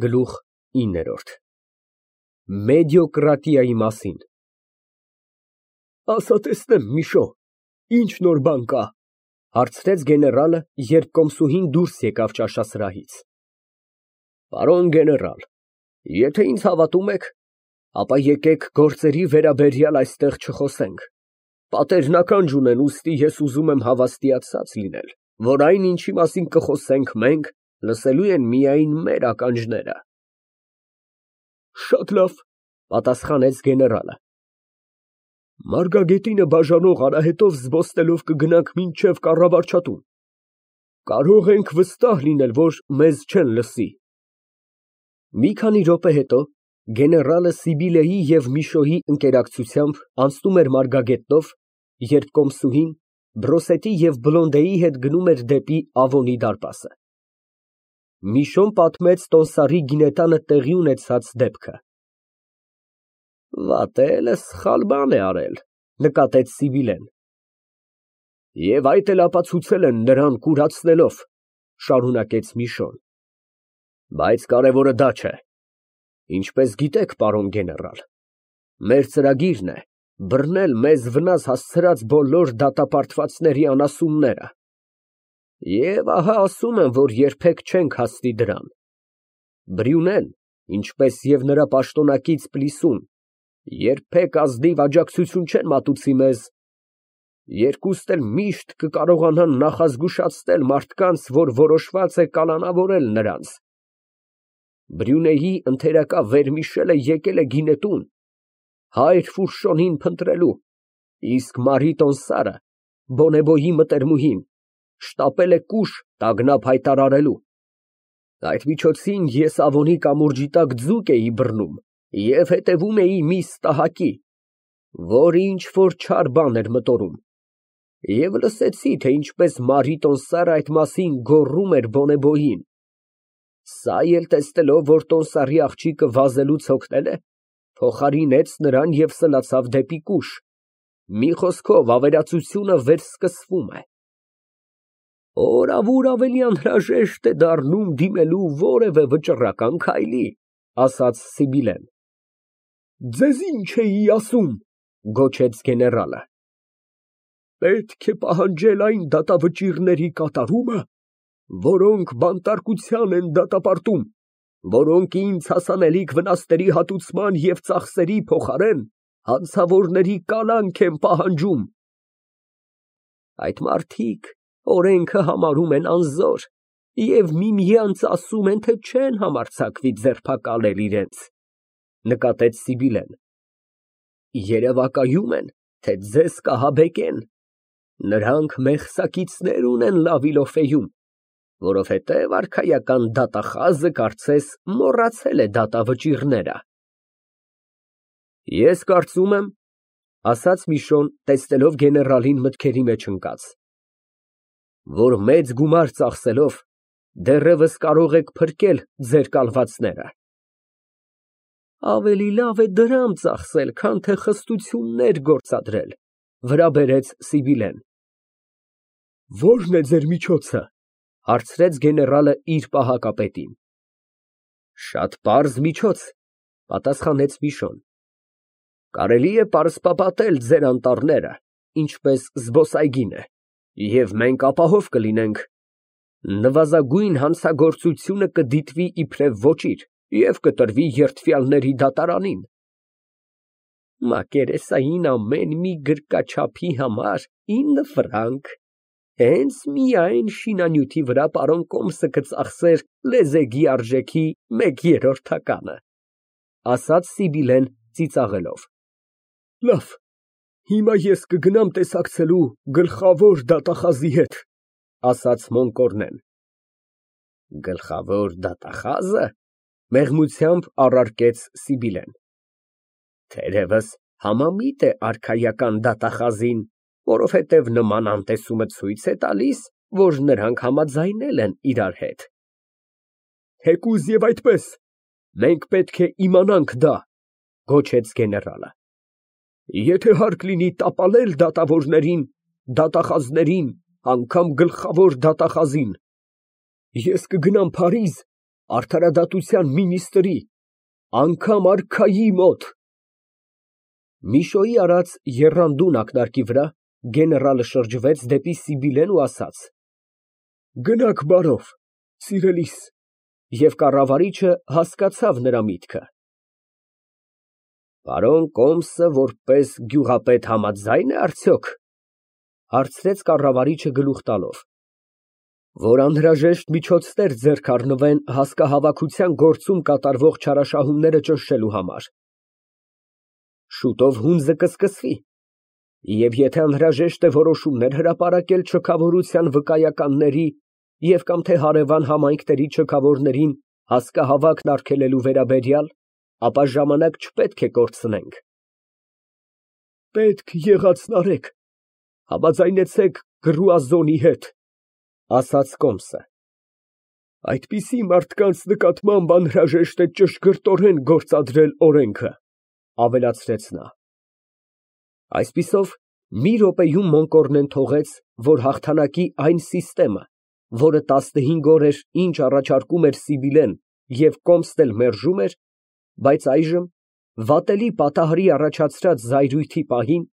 Գլուխ 9 Մեդիոկրատիայի մասին Ասա տեսնեմ, Միշո, ինչ նոր բան կա, հարցրեց գեներալը, երբ կոմսուհին դուրս եկավ ճաշասրահից։ Պարոն գեներալ, եթե ինձ հավատում եք, ապա եկեք գործերի վերաբերյալ այստեղ չխոսենք։ Պատերնական ունեն, ուստի ես ուզում եմ հավաստիացած լինել, որ այն, ինչի մասին կխոսենք մենք, լսելու են միայն մեր ականջները։ Շատ լավ, պատասխանեց գեներալը։ Մարգագետինը բաժանող արահետով զբոսնելով կգնանք մինչև կառավարչատուն։ Կարող ենք վստահ լինել, որ մեզ չեն լսի։ Մի քանի րոպե հետո գեներալը Սիբիլեի և Միշոյի ընկերակցությամբ անցնում էր Մարգագետնով, երբ կոմսուհին Բրոսետի և Բլոնդեի հետ գնում էր դեպի Ավոնի դարպասը։ Միշոն պատմեց տոմսարի գինետանը տեղի ունեցած դեպքը։ Վատելը սխալ բան է արել, նկատեց Սիբիլեն։ Եվ այդ էլ ապացուցել են նրան կուրացնելով, շարունակեց Միշոն։ Բայց կարևորը դա չէ։ Ինչպես գիտեք, պարոն գեներալ, մեր ծրագիրն է բռնել մեզ վնաս հասցրած բոլոր դատապարտվածների անասունները։ Եվ ահա ասում եմ, որ երբեք չենք հասնի դրան։ Բրյունեն, ինչպես և նրա պաշտոնակից Պլիսուն, երբեք ազնիվ աջակցություն չեն մատուցի մեզ, երկուստ էլ միշտ կկարողանան նախազգուշացնել մարդկանց, որ որոշված է կալանավորել նրանց։ Բրյունեի ընթերակա վերմիշելը եկել է գինետուն, հայր Ֆուրշոնին փնտրելու, իսկ Մարի տոնսարը, Բոնեբոյի մտերմուհին, շտապել է կուշ տագնապ հայտարարելու։ Այդ միջոցին ես Ավոնի կամուրջի տակ ձուկ էի բռնում և հետևում էի մի ստահակի, որը ինչ֊որ չար բան էր մտորում, և լսեցի, թե ինչպես Մարի տոնսարը այդ մասին գոռում էր Բոնեբոյին։ Սա էլ տեսնելով, որ տոնսարի աղջիկը վազելուց հոգնել է, փոխարինեց նրան և սլացավ դեպի կուշ։ Մի խոսքով, ավերածությունը վերսկսվում է։ Օրավուր ավելի անհրաժեշտ է դառնում դիմելու որևէ վճռական քայլի, ասաց Սիբիլեն։ Ձեզ ինչ էի ասում, գոչեց գեներալը։ Պետք է պահանջել այն դատավճիռների կատարումը, որոնք բանտարկության են դատապարտում, որոնք ինձ հասանելիք վնասների հատուցման և ծախսերի փոխարեն հանցավորների կալանք են պահանջում։ Այդ մարդիկ օրենքը համարում են անզոր և միմյանց ասում են, թե չեն համարձակվի ձերբակալել իրենց, նկատեց Սիբիլեն։ Երևակայում են, թե ձեզ կահաբեկեն։ Նրանք մեղսակիցներ ունեն Լավիլոֆեում, որովհետև արքայական դատախազը կարծես մոռացել է դատավճիռները։ Ես կարծում եմ, ասաց Միշոն, տեսնելով գեներալին մտքերի մեջ ընկած, որ մեծ գումար ծախսելով դեռևս կարող եք փրկել ձեր կալվածները։ Ավելի լավ է դրամ ծախսել, քան թե խստություններ գործադրել, վրա բերեց Սիբիլեն։ Ո՞րն է ձեր միջոցը, հարցրեց գեներալը իր պահակապետին։ Շատ պարզ միջոց, պատասխանեց Միշոն։ Կարելի է պարսպապատել ձեր անտառները, ինչպես զբոսայգին է, և մենք ապահով կլինենք։ Նվազագույն հանցագործությունը կդիտվի իբրև ոճիր և կտրվի երդվյալների դատարանին։ Մակերեսային ամեն մի գրկաչափի համար 9 ֆրանկ, հենց միայն շինանյութի վրա պարոն կոմսը կծախսեր լեզեգի արժեքի 1/3-ը, ասաց Սիբիլեն ծիծաղելով։ Լավ, հիմա ես կգնամ տեսակցելու գլխավոր դատախազի հետ, ասաց Մոնկորնեն։ Գլխավոր դատախազը, մեղմությամբ առարկեց Սիբիլեն։ Թերևս համամիտ է արքայական դատախազին, որովհետև նման անտեսումը ցույց է տալիս, որ նրանք համաձայնել են իրար հետ։ Թեկուզ և այդպես, մենք պետք է իմանանք դա, գոչեց գեներալը։ Եթե հարկ լինի տապալել դատավորներին, դատախազներին, անգամ գլխավոր դատախազին, ես կգնամ Փարիզ Արդարադատության մինիստրի, անգամ արքայի մոտ։ Միշոյի արած եռանդուն ակնարկի վրա գեներալը շրջվեց դեպի Սիբիլեն ու ասաց. Գնաք բարով, սիրելիս, և կառավարիչը հասկացավ նրա միտքը։ Պարոն Կոմսը որպես գյուղապետ համաձայն է արդյոք, հարցրեց կառավարիչը գլուխ տալով, որ անհրաժեշտ միջոցներ ձեռք առնվեն հասկահավաքության գործում կատարվող չարաշահումները ճնշելու համար։ Շուտով հունձը կսկսվի, և եթե անհրաժեշտ է որոշումներ հրապարակել չքավորության վկայականների և կամ թե հարևան համայնքների չքավորներին հասկահավաքն արգելելու վերաբերյալ, ապա ժամանակ չպետք է կորցնենք։ Պետք եղածն արեք, համաձայնեցեք Գրուազոնի հետ, ասաց Կոմսը։ Այդպիսի մարդկանց նկատմամբ անհրաժեշտ է ճշգրտորեն գործադրել օրենքը, ավելացրեց նա։ Այսպիսով, մի րոպեում Մոնկորնեն թողեց, որ հաղթանակի այն սիստեմը, որը 15 օր էր ինչ առաջարկում էր Սիբիլեն և Կոմսն էլ մերժում էր, բայց այժմ, վատելի պատահարի առաջացրած զայրույթի պահին,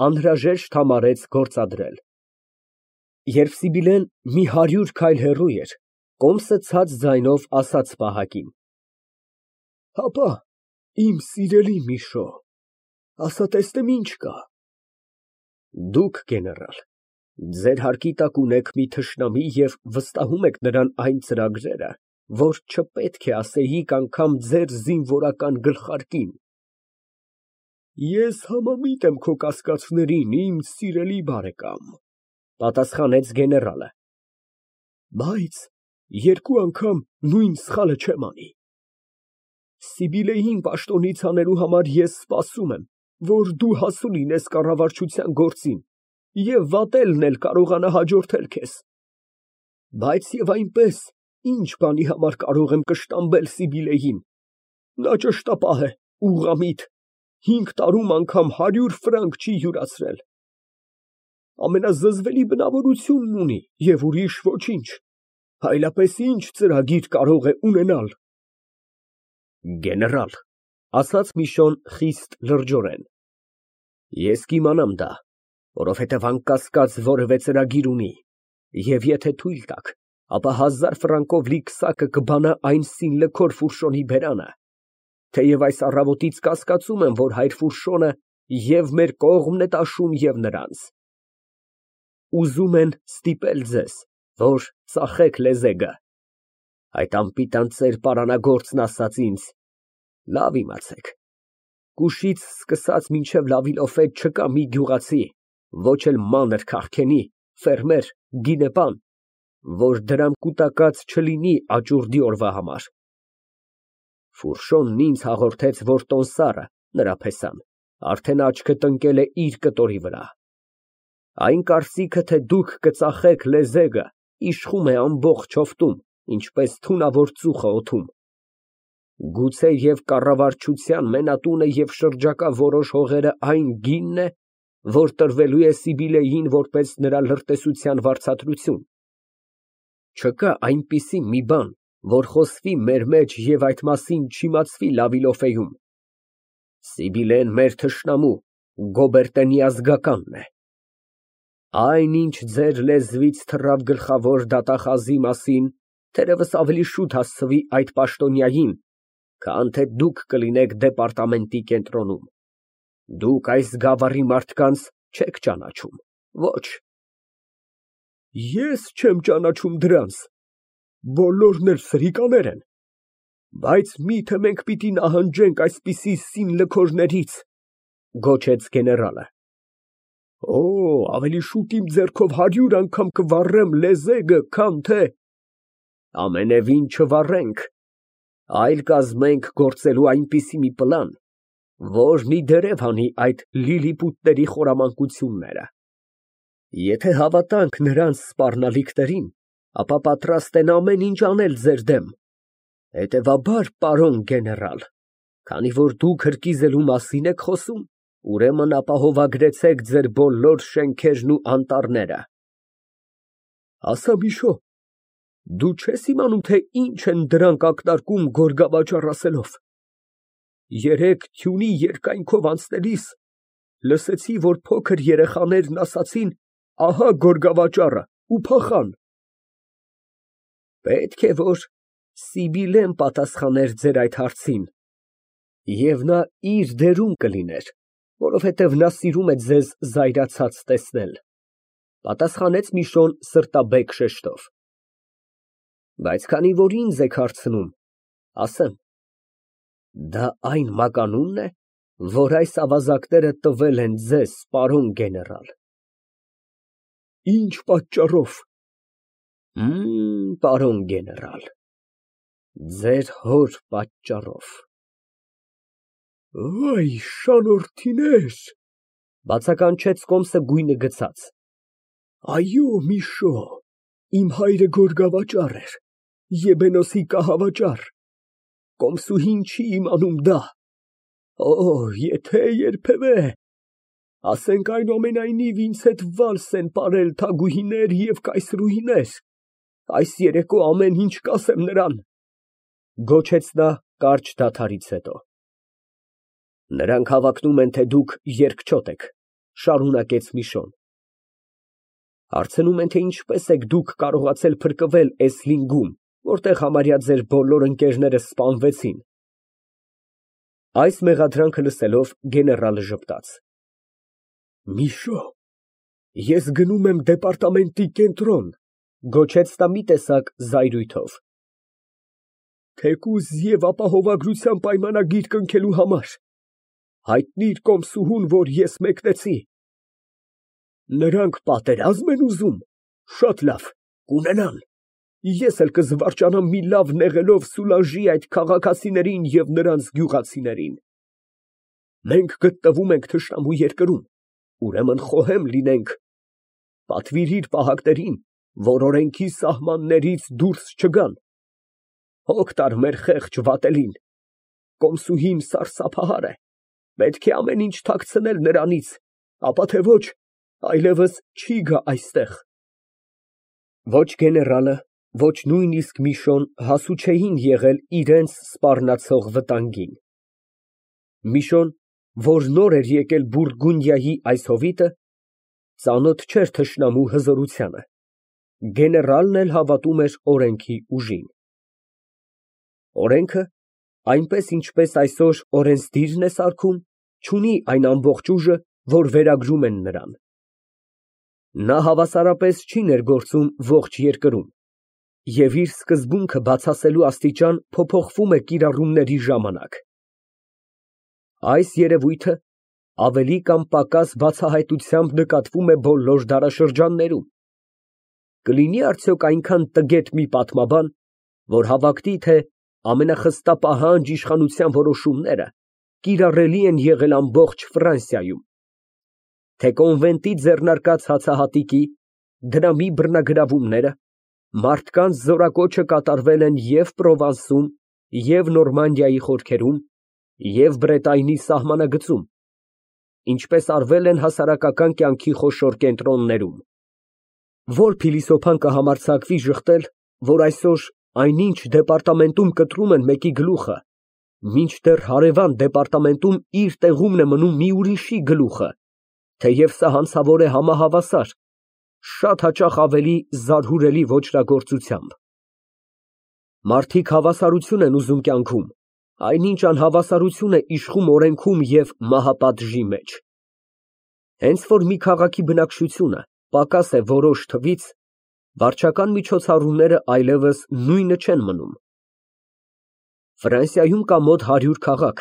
անհրաժեշտ համարեց գործադրել։ Երբ Սիբիլեն մի 100 քայլ հեռու էր, Կոմսը ցած ձայնով ասաց պահակին. Հապա, իմ սիրելի Միշո, ասա տեսնեմ ինչ կա։ Դուք, գեներալ, ձեր հարկի տակ ունեք մի թշնամի և վստահում եք նրան այն ծրագրերը, որ չպետք է ասեիք անգամ ձեր զինվորական գլխարկին։ Ես համամիտ եմ քո կասկածներին, իմ սիրելի բարեկամ, պատասխանեց գեներալը, բայց երկու անգամ նույն սխալը չեմ անի։ Սիբիլեին պաշտոնից հանելու համար ես սպասում եմ, որ դու հասու լինես կառավարչության գործին և վատելն էլ կարողանա հաջորդել քեզ։ Բայց և այնպես, ինչ բանի համար կարող եմ կշտամբել Սիբիլեին։ Նա ճշտապահ է, ուղղամիտ, 5 տարում անգամ 100 ֆրանկ չի յուրացրել։ Ամենազզվելի բնավորությունն ունի և ուրիշ ոչինչ, այլապես ինչ ծրագիր կարող է ունենալ։ Գեներալ, ասաց Միշոն խիստ լրջորեն, ես կիմանամ դա, որովհետև անկասկած որևէ ծրագիր ունի, և եթե թույլ տաք, ապա 1000 ֆրանկով լի քսակը կբանա այն սինլքոր Ֆուրշոնի բերանը, թեև այս առավոտից կասկածում եմ, որ հայր Ֆուրշոնը և մեր կողմն է տաշում և նրանց։ Ուզում են ստիպել ձեզ, որ ծախեք լեզեգը։ Այդ անպիտան ծեր պարանագործն ասաց ինձ. լավ իմացեք, կուշից սկսած մինչև Լավիլոֆետ չկա մի գյուղացի, ոչ էլ մանր քաղքենի, ֆերմեր, գինեպան, որ դրամ կուտակած չլինի աճուրդի օրվա համար։ Ֆուրշոնն ինձ հաղորդեց, որ տոմսարը, նրա փեսան, արդեն աչքը տնկել է իր կտորի վրա։ Այն կարծիքը, թե դուք կծախեք լեզեգը, իշխում է ամբողջ հովտում, ինչպես թունավոր ծուխը օդում։ Գուցե և կառավարչության մենատունը և շրջակա որոշ հողերը այն գինն է, որ տրվելու է Սիբիլեին որպես նրա լրտեսության վարձատրություն։ Չկա այնպիսի մի բան, որ խոսվի մեր մեջ և այդ մասին չիմացվի Լավիլոֆեում։ Սիբիլեն մեր թշնամու, Գոբերտենի ազգականն է։ Այն, ինչ ձեր լեզվից թռավ գլխավոր դատախազի մասին, թերևս ավելի շուտ հասցվի այդ պաշտոնյային, քան թե դուք կլինեք դեպարտամենտի կենտրոնում։ Դուք այս գավառի մարդկանց չեք ճանաչում, ոչ։ Ես չեմ ճանաչում դրանց, բոլորն էլ սրիկաներ են, բայց մի՞թե մենք պիտի նահանջենք այսպիսի սինլքորներից, գոչեց գեներալը։ Օ, ավելի շուտ իմ ձեռքով 100 անգամ կվառեմ լեզեգը, քան թե… Ամենևին չվառենք, այլ կազմենք գործելու այնպիսի մի պլան, որն ի դերև հանի այդ լիլիպուտների խորամանկությունները։ Եթե հավատանք նրանց սպառնալիքներին, ապա պատրաստ են ամեն ինչ անել ձեր դեմ։ Հետևաբար, պարոն գեներալ, քանի որ դուք հրկիզելու մասին եք խոսում, ուրեմն ապահովագրեցեք ձեր բոլոր շենքերն ու անտառները։ Ասա, Միշո, Դու չես իմանում, թե ինչ են դրանք ակնարկում գորգավաճառ ասելով։ Երեկ թյունի երկայնքով անցնելիս լսեցի, որ փոքր երեխաներն ասացին. «Ահա գորգավաճառը» ու փախան։ Պետք է որ Սիբիլեն պատասխաներ ձեր այդ հարցին, և նա իր դերում կլիներ, որովհետև նա սիրում է ձեզ զայրացած տեսնել, պատասխանեց Միշոն սրտաբեկ շեշտով։ Բայց քանի որ ինձ եք հարցնում, ասեմ. դա այն մականունն է, որ այս ավազակները տվել են ձեզ, պարոն գեներալ։ Ինչ պատճառով։ Պարոն գեներալ, ձեր հոր պատճառով։ Այ շանորթիներ, բացականչեց Կոմսը գույնը գցած։ Այո, Միշո, իմ հայրը գորգավաճառ էր, Եբենոսի կահավաճառ, Կոմսուհին չի իմանում դա։ Եթե երբևէ, ասենք այնուամենայնիվ ինձ հետ վալս են պարել թագուհիներ և կայսրուհիներ, այս երեկո ամեն ինչ կասեմ նրան, գոչեց նա կարճ դադարից հետո։ Նրանք հավակնում են, թե դուք երկչոտ եք, շարունակեց Միշոն։ Հարցնում են, թե ինչպես եք դուք կարողացել փրկվել Էսլինգում, որտեղ համարյա ձեր բոլոր ընկերները սպանվեցին։ Այս մեղադրանքը լսելով գեներալը ժպտաց։ Միշո, ես գնում եմ դեպարտամենտի կենտրոն, գոչեց նա մի տեսակ զայրույթով։ Թեկուզ և ապահովագրության պայմանագիր կնքելու համար, հայտնիր Կոմսուհուն, որ ես մեկնեցի։ Նրանք պատերազմ են ուզում, շատ լավ, կունենան, ես էլ կզվարճանամ մի լավ նեղելով Սուլանժի այդ քաղաքացիներին և նրանց գյուղացիներին։ Մենք գտնվում ենք թշնամու երկրում, ուրեմն խոհեմ լինենք, պատվիրիր պահակներին, որ օրենքի սահմաններից դուրս չգան, հոգ տար մեր խեղճ վատելին, Կոմսուհին սարսափահար է, պետք է ամեն ինչ թաքցնել նրանից, ապա թե ոչ, այլևս չի գա այստեղ։ Ոչ գեներալը, ոչ նույնիսկ Միշոն հասու չէին եղել իրենց սպառնացող վտանգին։ Միշոն, որ նոր էր եկել Բուրգունդիայի այս հովիտը, ծանոթ չէր թշնամու հզորությանը, գեներալն էլ հավատում էր օրենքի ուժին։ Օրենքը, այնպես ինչպես այսօր օրենսդիրն է սարքում, չունի այն ամբողջ ուժը, որ վերագրում են նրան։ Նա հավասարապես չի ներգործում ողջ երկրում, և իր սկզբունքը բացասելու աստիճան փոփոխվում է կիրառումների ժամանակ։ Այս երևույթը ավելի կամ պակաս բացահայտությամբ նկատվում է բոլոր դարաշրջաններում։ Կլինի արդյոք այնքան տգետ մի պատմաբան, որ հավատի, թե ամենախստապահանջ իշխանության որոշումները կիրառելի են եղել ամբողջ Ֆրանսիայում, թե կոնվենտի ձեռնարկած հացահատիկի, դրամի բռնագրավումները, մարդկանց զորակոչը կատարվել են և Պրովանսում, և Նորմանդիայի խորքերում, և Բրետայնի սահմանագծում, ինչպես արվել են հասարակական կյանքի խոշոր կենտրոններում։ Որ փիլիսոփան կհամարձակվի ժխտել, որ այսօր այնինչ դեպարտամենտում կտրում են մեկի գլուխը, մինչդեռ հարևան դեպարտամենտում իր տեղումն է մնում մի ուրիշի գլուխը, թեև սա հանցավոր է համահավասար, շատ հաճախ ավելի զարհուրելի ոճրագործությամբ։ Մարդիկ հավասարություն են ուզում կյանքում, այնինչ անհավասարություն է իշխում օրենքում և մահապատժի մեջ։ Հենց որ մի քաղաքի բնակչությունը պակաս է որոշ թվից, վարչական միջոցառումները այլևս նույնը չեն մնում։ Ֆրանսիայում կա մոտ 100 քաղաք,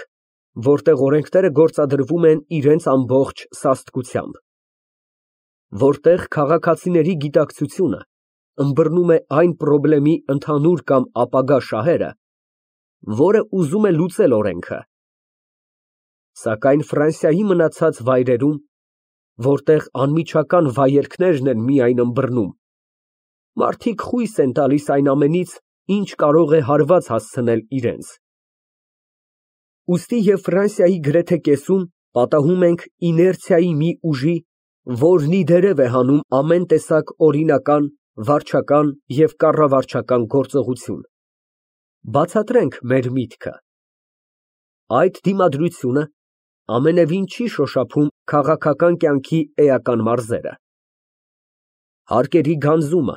որտեղ օրենքները գործադրվում են իրենց ամբողջ սաստկությամբ, որտեղ քաղաքացիների գիտակցությունը ըմբռնում է այն պրոբլեմի ընդհանուր կամ ապագա շահերը, որը ուզում է լուծել օրենքը։ Սակայն Ֆրանսիայի մնացած վայրերում, որտեղ անմիջական վայելքներն են միայն ըմբռնում, մարդիկ խույս են տալիս այն ամենից, ինչ կարող է հարված հասցնել իրենց։ Ուստի և Ֆրանսիայի գրեթե կեսում պատահում ենք իներցիայի մի ուժի, որն ի դերև է հանում ամեն տեսակ օրինական վարչական և կառավարչական գործողություն։ Բացատրենք մեր միտքը։ Այդ դիմադրությունը ամենևին չի շոշափում քաղաքական կյանքի էական մարզերը։ Հարկերի գանձումը,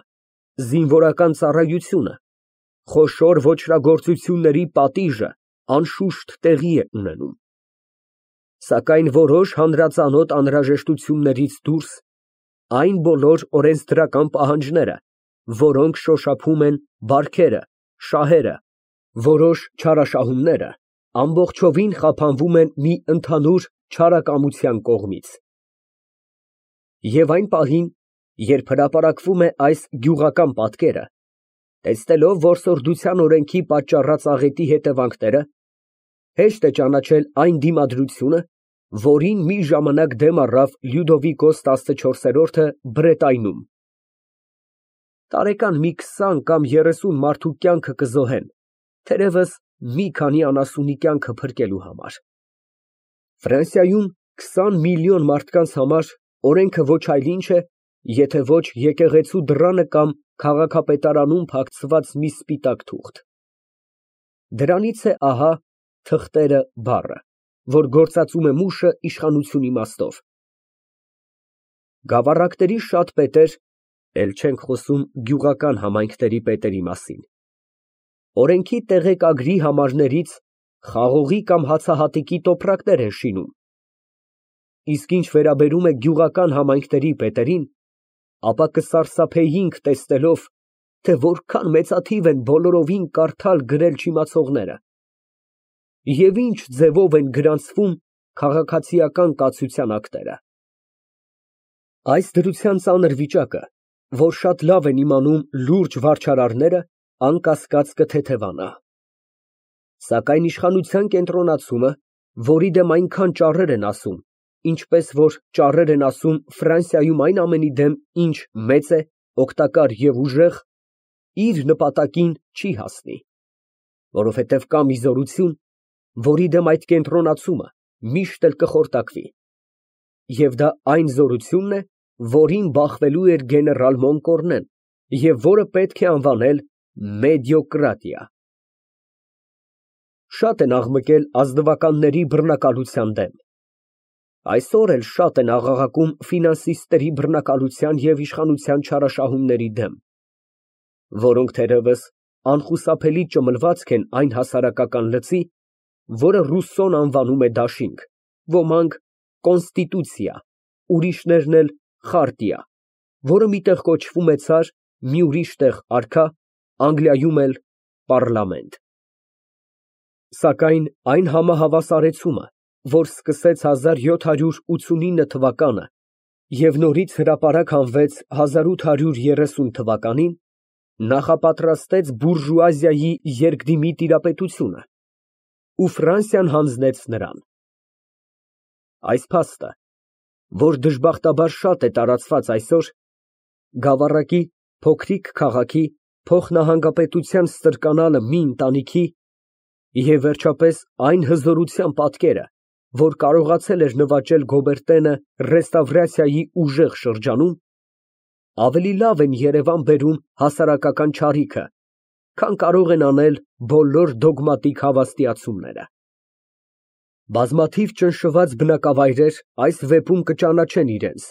զինվորական ծառայությունը, խոշոր ոճրագործությունների պատիժը անշուշտ տեղի է ունենում։ Սակայն որոշ հանրածանոթ անհրաժեշտություններից դուրս այն բոլոր օրենսդրական պահանջները, որոնք շոշափում են բարքերը, շահերը, որոշ չարաշահումները, ամբողջովին խափանվում են մի ընդհանուր չարակամության կողմից։ Եվ այն պահին, երբ հրապարակվում է այս գյուղական պատկերը, տեսնելով որսորդության օրենքի պատճառած աղետի հետևանքները, հեշտ է ճանաչել այն դիմադրությունը, որին մի ժամանակ դեմ առավ Լյուդովիկոս 14-րդը Բրետայնում։ Տարեկան մի 20 կամ 30 մարդու կյանքը կզոհեն, թերևս մի քանի անասունի կյանքը փրկելու համար։ Ֆրանսիայում 20 միլիոն մարդկանց համար օրենքը ոչ այլ ինչ է, եթե ոչ եկեղեցու դռանը կամ քաղաքապետարանում փակցված մի սպիտակ թուղթ։ Դրանից է ահա թղթերը բառը, որ գործածում է մուշը իշխանություն իմաստով։ Գավառակների շատ պետեր, էլ չենք խոսում գյուղական համայնքների պետերի մասին, օրենքի տեղեկագրի համարներից խաղողի կամ հացահատիկի տոպրակներ են շինում, իսկ ինչ վերաբերում է գյուղական համայնքների պետերին, ապա կսարսափեինք տեսնելով, թե որքան մեծաթիվ են բոլորովին կարդալ֊գրել չիմացողները, և ինչ ձևով են գրանցվում քաղաքացիական կացության ակտերը։ Այս դրության ծանր վիճակը, որ շատ լավ են իմանում լուրջ վարչարարները, անկասկած կթեթևանա։ Սակայն իշխանության կենտրոնացումը, որի դեմ այնքան ճառեր են ասում, ինչպես որ ճառեր են ասում Ֆրանսիայում այն ամենի դեմ, ինչ մեծ է, օգտակար և ուժեղ, իր նպատակին չի հասնի, որովհետև կա մի զորություն, որի դեմ այդ կենտրոնացումը միշտ էլ կխորտակվի, և դա այն զորությունն է, որին բախվելու էր գեներալ Մոնկորնեն և որը պետք է անվանել մեդիոկրատիա։ Շատ են աղմկել ազնվականների բռնակալության դեմ։ Այսօր էլ շատ են աղաղակում ֆինանսիստների բռնակալության և իշխանության չարաշահումների դեմ, որոնք թերևս անխուսափելի ճմլվածք են այն հասարակական լծի, որը Ռուսսոն անվանում է դաշինք, ոմանք կոնստիտուցիա, ուրիշներն էլ խարտիա, որը մի տեղ կոչվում է ցար, մի ուրիշ տեղ արքա, Անգլիայում էլ պառլամենտ։ Սակայն այն համահավասարեցումը, որ սկսեց 1789 թվականը և նորից հրապարակ հանվեց 1830 թվականին, նախապատրաստեց բուրժուազիայի երկդիմի տիրապետությունը, ու Ֆրանսիան հանձնեց նրան։ Այս փաստը, որ դժբախտաբար շատ է տարածված այսօր, գավառակի, փոքրիկ քաղաքի, փոխնահանգապետության ստրկանալը մի ընտանիքի և վերջապես այն հզորության պատկերը, որ կարողացել էր նվաճել Գոբերտենը ռեստավրացիայի ուժեղ շրջանում, ավելի լավ են երևան բերում հասարակական չարիքը, քան կարող են անել բոլոր դոգմատիկ հավաստիացումները։ Բազմաթիվ ճնշված բնակավայրեր այս վեպում կճանաչեն իրենց,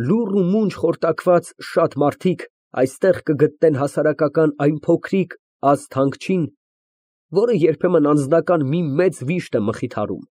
լուռ ու մունջ խորտակված շատ մարդիկ այստեղ կգտնեն հասարակական այն փոքրիկ ազդ հանգչին, որը երբեմն անձնական մի մեծ վիշտ է մխիթարում։